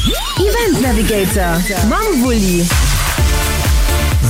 Event Navigator mam Wulli.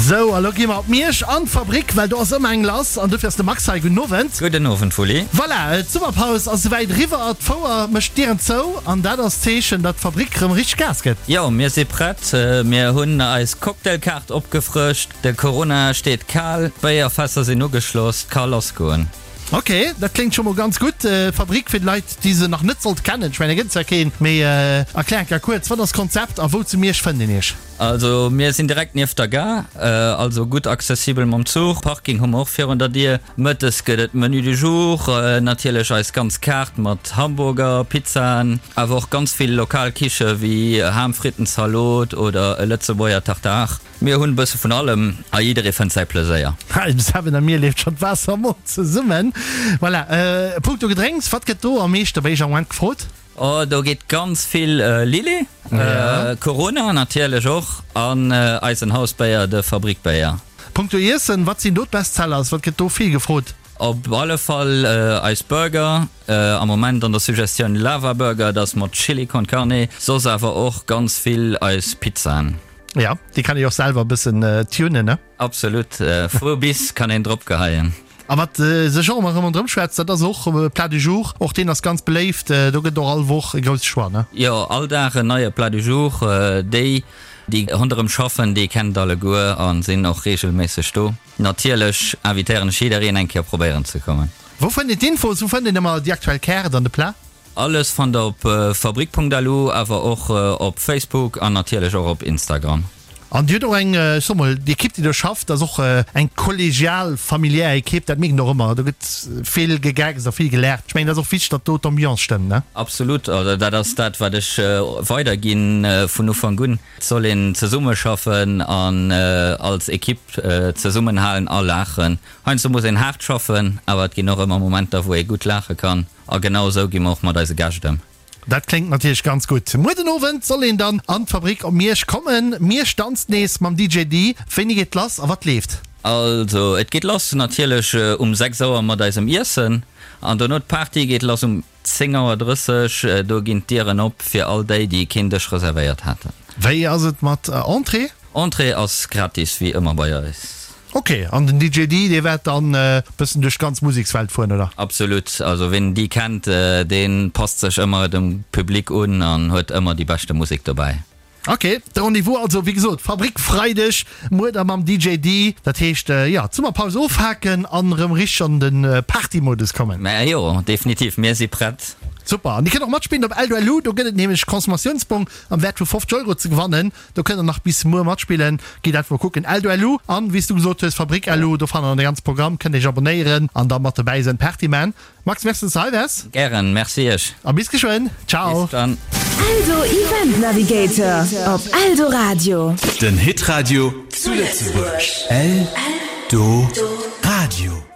Sou, a lo gi mer op Miersch an d'Fabrik, well do ass ëmmer eng lass an dofir ass de Max hei. Gudden Owend. Gudden Owend, Wulli. Voilà, d'Summerpaus ass esouwäit eriwwer, d'Fouer mécht d'Dieren zou an dat ass d'Zeechen, datt d'Fabrik erëm richteg Gas gëtt. Jo, mir si prett. Mir hunn eis Cocktailkaart opgefrëscht, de Corona steet kal, d'Béierfässer sinn ugeschloss, 't ka lassgoen. Ok, dat kléngt scho mol ganz gutt. Fabrik fir d'Leit, déi se nach net sollte kennen, ech mengen, et gëtt zwar keen, mee erklär eng Kéier kuerz, wat ass d'Konzept a wou zu Miersch fënnt een iech? Also mir sinn direkt nieft der Gare, also gutt accessibel mam Zuch. Parking hu mer och virun der Dier. Mëttes gëtt et Menu du jour, natierlech eis ganz Kaart mat Hamburger, Pizzaen, awer och ganz vill lokal Kiche wéi Ham, Fritten, Zalot oder e Lëtzebuerger Tartare. Mir hunn e bësse vun allem a jidderee fënnt säi Pleséier. Dem Seven a mir leeft schonn d'Waasser am Mond zesummen. Voilà, punkto Gedrénks, wat gëtt do am meeschte bei iech am Moment gefrot? Oh, do geet ganz vill Lillet, Corona natierlech och an eisen Hausbéier, de Fabrikbéier. Punkto Iessen, wat sinn do d'Bestsellers? Wat gëtt do vill gefrot? Op alle Fall eis Burger, am Moment an der Suggestioun Lava Burger, dat ass mat Chili con Carne, soss awer och ganz vill eis Pizzaen. Ja, déi kann ee och selwer e bëssen tunen, ne? Absolut, vu bis kann een drop geheien. A wat sech och ëmmer erëm ronderëm schwätzt, dat ass och Plat du jour. Och deen ass ganz beléift. Do gëtt et och all Woch e grousse Choix, ne? Jo, all Dag en neie Plat du jour. Déi, déi ronderëm schaffen, déi kennen et alleguer a sinn och reegelméisseg do. Natierlech invitéieren ech jiddereen, eng Kéier probéieren ze kommen. Wou fënnt een d'Infos? Wou fënnt een ëmmer déi aktuell Kaart an de Plat? Alles fannt der op fabrik.lu, awer och op Facebook an natierlech och op Instagram. An Dir hutt och eng, ech soe mol, déi Ekipp, déi do schafft, ass och eng kollegial, familiär Ekipp. Dat mierkt een och ëmmer. Do gëtt vill gegeckst a vill gelaacht. Ech mengen, dat ass och wichteg, datt do d'Ambiance stëmmt, ne? Absolut. Also dat ass dat, wat ech weiderginn vun Ufank un. Et soll een zesummeschaffen an als Ekipp zesummenhalen a laachen. Heiansdo muss een haart schaffen, awer et ginn och ëmmer Momenter, wou ee gutt laache kann. A genau esou gi mer och mat eise Gäscht ëm. Dat kléngt natierlech ganz gutt. Muer den Owend soll een dann an d'Fabrik op Miersch kommen. Miersch danzt nees mam DJ Dee. Wéini geet lass a wat leeft? Also et geet lass natierlech um 6 Auer mat eisem Iessen an dono d'Party geet lass um 10 Auer 30. Do ginn d'Dieren op fir all déi, déi keen Dësch reservéiert haten. Wéi ass et mat Entrée? Entrée ass gratis wéi ëmmer bei eis. Ok, an den DJ Dee, dee waert dann bëssen duerch d'ganz Musekswelt fueren, oder? Absolut, also ween den Dee kennt, dee passt sech ëmmer dem Public un an huet ëmmer déi beschte Musek dobäi. Ok, de Rendez-vous also wéi gesot Fabrik Freideg muer da mam DJ Dee. Dat heescht jo, d'Summerpaus ofhaken an erëm richteg an de Partymodus kommen. Mä jo, definitiv, mir si prett. Super, an dir kënnt och matspillen op Eldo.lu, do gëtt et nämlech Consommatiounsbong am Wäert vu 50 Euro ze gewannen. Do kënnt der nach bis muer matspillen. Gitt einfach mol kucken, Eldo.lu an wéi s du gesot hues, Fabrik.lu, do fannt der dann de ganze Programm, kënnt iech abonéieren an da mat dobäi sënn Party man. Max, merci dass du hei waars. Gären, merci iech. A bis geschwënn. Ciao. Bis dann. Eldo Event Navigator op Eldoradio. Den Hitradio zu Lëtzebuerg. Eldoradio.